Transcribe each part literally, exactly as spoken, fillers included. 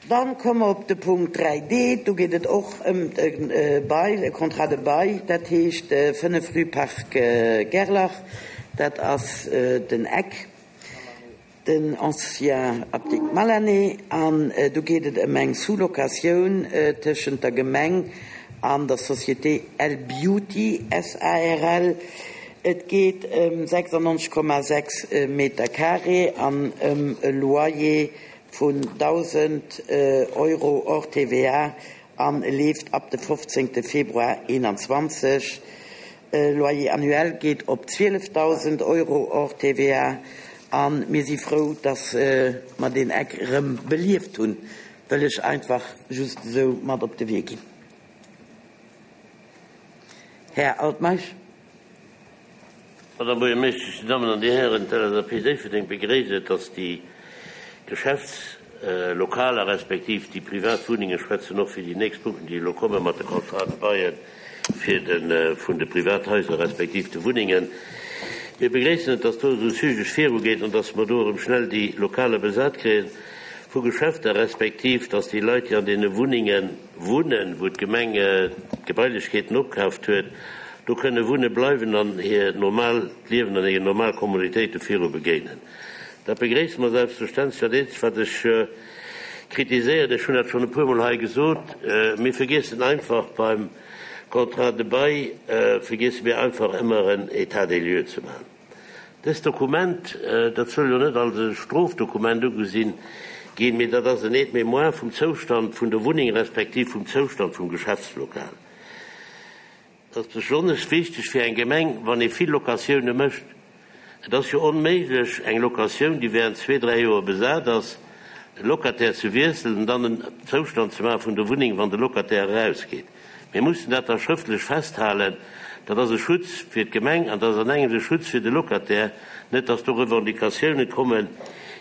Dann komme mer op de Punkt dräi D. Do geet et och ëm e Bail, e Contrat de bail, dat heescht fënnef rue Parc Gerlach, dat ass den Eck, den ancien Apdikt Malané. An do geet et ëm eng Sous-locatioun tëschent der Gemeng an der Société L Beauty S A R L. Et geet ëm sechsundneunzeg Komma sechs Meter carré an ëm e Loyer vun dausend Euro hors T V A an leeft ab de fofzéngte Februar einundzwanzig. Loyer annuel geet op zwieleftausend Euro hors T V A an mir si frou, dass mer den Eck erëm belieft hunn, wëll ech einfach just esou mat op de Wee ginn. Här Altmeisch. Madame Buergermeeschtesch, die Damen und die Herren, d'L S A P Déifferdeng begréisst et, dass die Geschäftslokaler respektiv die Privatwohnungen schwätzen och fir die nächst Punkten, die elo kommen mat de Contrat de bail fir den, äh, vun de Privathäuser respektiv de Wunnungen. Wir begréissen et, dass do so zügig virugeht und dass wir do erëm schnell die Lokale besat kriegen vu Geschäfter respektiv, dass die Leute, die an den Wunnungen wohnen, wo d'Gemeng, äh, Gebäulichkeiten opkauft huet, do kënne wunne bleiwen an hir normal Liewen an hir normal Kommunitéite viru begéinen. Dat begréissen wir selbstverständlich. Dat eenzegt, wat ech, äh, kritiséieren, ech hunn dat schon e puer Mal hei gesot, äh, mir vergessen einfach beim Contrat de bail, äh, vergessen wir einfach immer en État des lieux zu machen. Das Dokument, äh, dat soll jo net als e Strofdokument ugesinn ginn, mee dat ass en Aide-mémoire vum Zoustand vun der Wunneng respektiv vum Zoustand vum Geschäftslokal. Das ist besonders wichtig für eng Gemeng, wann ee vill Locatioune mécht. Et ass jo onméiglech, eng Locatioun, déi während zwei, drei Joer besat ass, de Locataire zu wiesselen und dann einen Zustand zu machen vun der Wunneng, wann de Locataire rausgeht. Wir müssen dat da schriftlich festhalten, dat ass e Schutz fir d'Gemeng an dat ass an engem e Schutz fir de Locataire, net dass do Revendicatiounen kommen,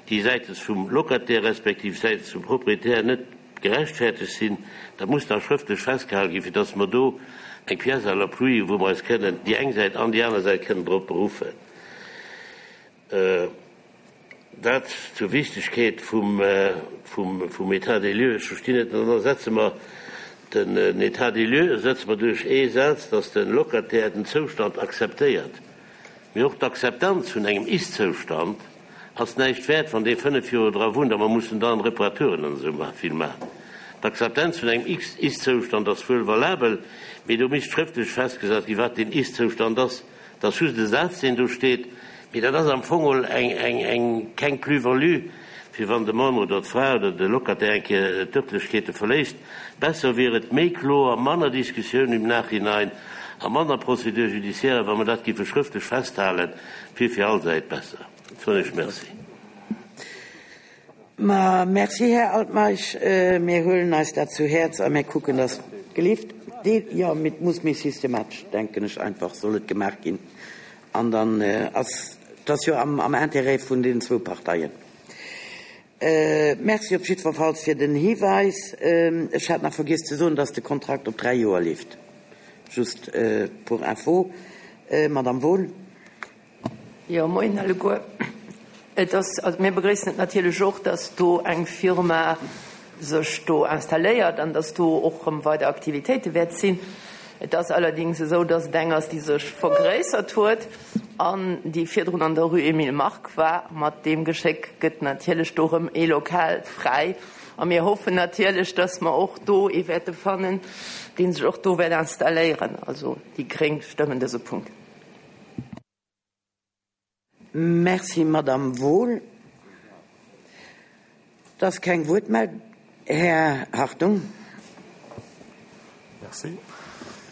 déi seitens vum Locataire respektiv seitens vum Proprietär net gerechtfertigt sinn. Da muss da schriftlich festgehalten ginn, fir dass wir do eng Pièce à l'appui, wo wir uns können, die eng Seite an die andere Seite können drauf berufen. Äh, dat zur Wichtigkeit vum, äh, vum, vum État des lieux, ich verstehe nicht, dann setzen wir den, äh, État des lieux, setzen wir durch ee Satz, dass den Locataire den Zustand akzeptiert. Mir auch d'Akzeptanz vun engem Ist-Zustand ass näischt wert, wann dee fënnef Joer dra wunnt, aber man muss dann Reparaturen an so ma-, viel machen. D'Akzeptanz vun engem Ist-Zustand ass wuel valabel, mee do misst schriftlich festgesat gi, wat den Ist-Zustand ass. Das just de Satz, den do steht, mee dat ass am Fong eng, eng, eng, keng Plus-value, fir wann de Mann oder d'Fra oder de Locataire eng Kéier d'Örtlichkeete verléisst. Besser wier et méi kloer, manner Diskussioun im Nachhinein a manner Procédure judiciaire, wann man dat giffe schriftlich festhalen, fir fir all Säit besser. Soll ich merci. Ma, merci, Herr Altmaisch. Äh, mir holen eis dat zu Herz a mir kucken, dass gelift. De, ja, mit muss mir systematisch denken, ich einfach soll et gemacht ginn. An dann, äh, ass das jo am, am Interêt vun den zwei Parteien. Äh, merci op jiddwer Fall fir den Hinweis. Ähm, ech hat nach vergiss ze soen, dass de Kontrakt op drei Joer leeft. Just, äh, pour info. Äh, Madame Wohl. Ja, moin alleguer. Et ass, also mir begréissen et natierlech och, dass do eng Firma sech do installéiert an dass do och rëm weider Aktivitéite wäert sinn. Et ass allerdings esou, dass et eng ass, déi sech vergréissert huet an déi virdrun an der Rue Émile Mark war. Mat deem Geschéck gëtt natierlech do rëm ee Lokal fräi. A mir hoffen natierlech, dass mer och do ee wäerte fannen, deen sech och do wäert installéieren. Also déi Gréng stëmmen dëse Punkt. Merci, Madame Wohl. Das ist kein Wort mehr. Herr Hartung. Merci.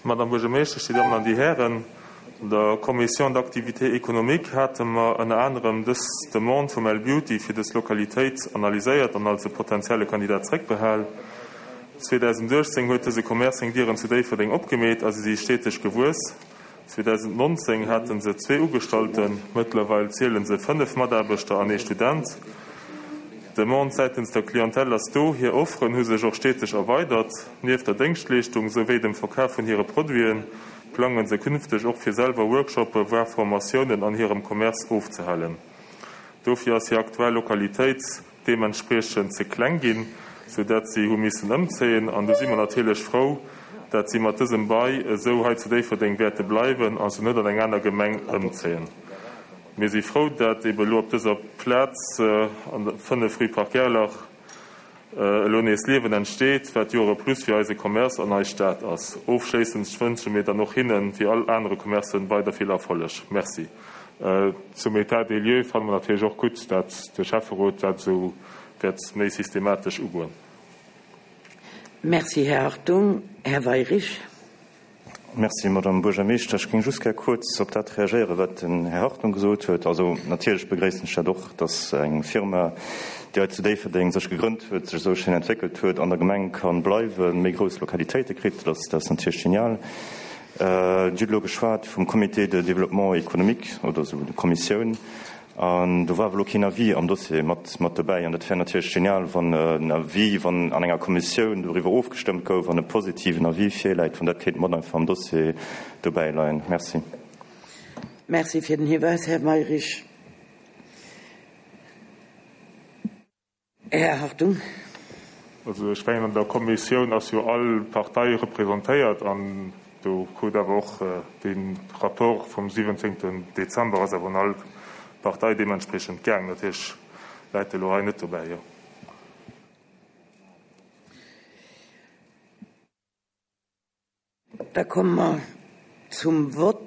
Madame Buergermeeschtesch, die Damen an die Herren, an der Commission d'activité économique hatten wir unter anderem dës Demande vum L Beauty fir dës Lokalitéit analyséiert an als potenzielle Kandidat zréckbehal. zweitausendachtzehn huet dëse Commerce seng Dieren zu Déifferdeng opgemeet, also si steeteg gewuess. zweitausendneunzehn hatten se zwee Ugestalten, mittlerweile zählen se fënnef Mataarbechter an ee Student. Demande seitens der Klientel ass do, hir Offeren hu sech och steeteg erweidert. Nieft der Déngschtleeschtung souwéi dem Verkaf vun hire Produiten plangen se künfteg och fir selwer Workshoppe, voire Formatiounen an hirem Commerce ofzehalen. Dofir ass hir aktuell Lokalitéit deementspriechend ze kleng ginn. sou dat si hu missen ëmzéien. An do si mer natierlech frou, dat si mat dësem Bail esou hei zu Déifferdeng wäerte bleiwen a se net an eng aner Gemeng ëmzéien. Mir si frou, dat ebe elo op dëser Plaz an der fënnef rue Parc Gerlach elo nees Liewen entsteet, wat jo och e Plus fir eise Commerce an eis Stad ass. Ofschléissend wënsche mir dann och hinnen, wéi all anere Commercen, weider vill Erfolleg. Merci. Zum État des lieux fanne mer natierlech och gutt, dat de Schäfferot dat esou wäert méi systematesch ugoen. Merci, Här Hartung. Här Weyrich. Merci, Madame Buergermeeschter. Ech géing just gär kuerz op dat reagéieren, wat den Här Hartung gesot huet. Also natierlech begréissen ech dat och, dass eng Firma, déi hei zu Déifferdeng sech gegrënnt huet, sech esou schéin entwéckelt huet, an der Gemeng ka bleiwen, méi grouss Lokalitéite kritt. Dat ass, dat ass natierlech genial. Dir hutt elo geschwat vum Comité de développement économique oder esou, der Kommissioun. An do war awer elo keen Avis am Dossier mat, mat dobäi. An dat wär natierlech genial, wann en Avis, wann an enger Kommissioun doriwwer ofgestëmmt gouf an e positiven Avis virläit, wann dat kéint mat einfach am Dossier dobäi leien. Merci. Merci fir den Hiwäis, Här Mayrisch. Här Hartung. Also ech mengen, an der Kommissioun ass jo all Partei representéiert an do krut awer och dee Rapport vum siwwenzéngten Dezember ass awer un all Partei deementspriechend gaang. Natierlech läit elo hei net dobäi, jo. Da komme mer zum Vott.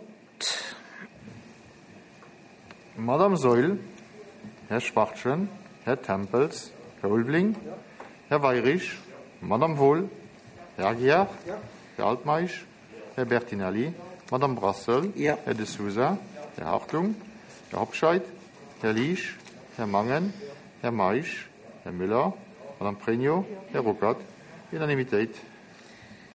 Madame Saeul, Här Schwachtgen, Här Tempels, Här Ulveling, Här Weyrich, Madame Wohl, Här Aguiar, Här Altmeisch, Här Bertinelli, Madame Brassel, Ja. Här De Sousa, Här Hartung, Här Hobscheit, Här Liesch, Här Mangen, Här Meisch, Här Müller, Madame Pregno, Här Ruckert. Unanimitéit.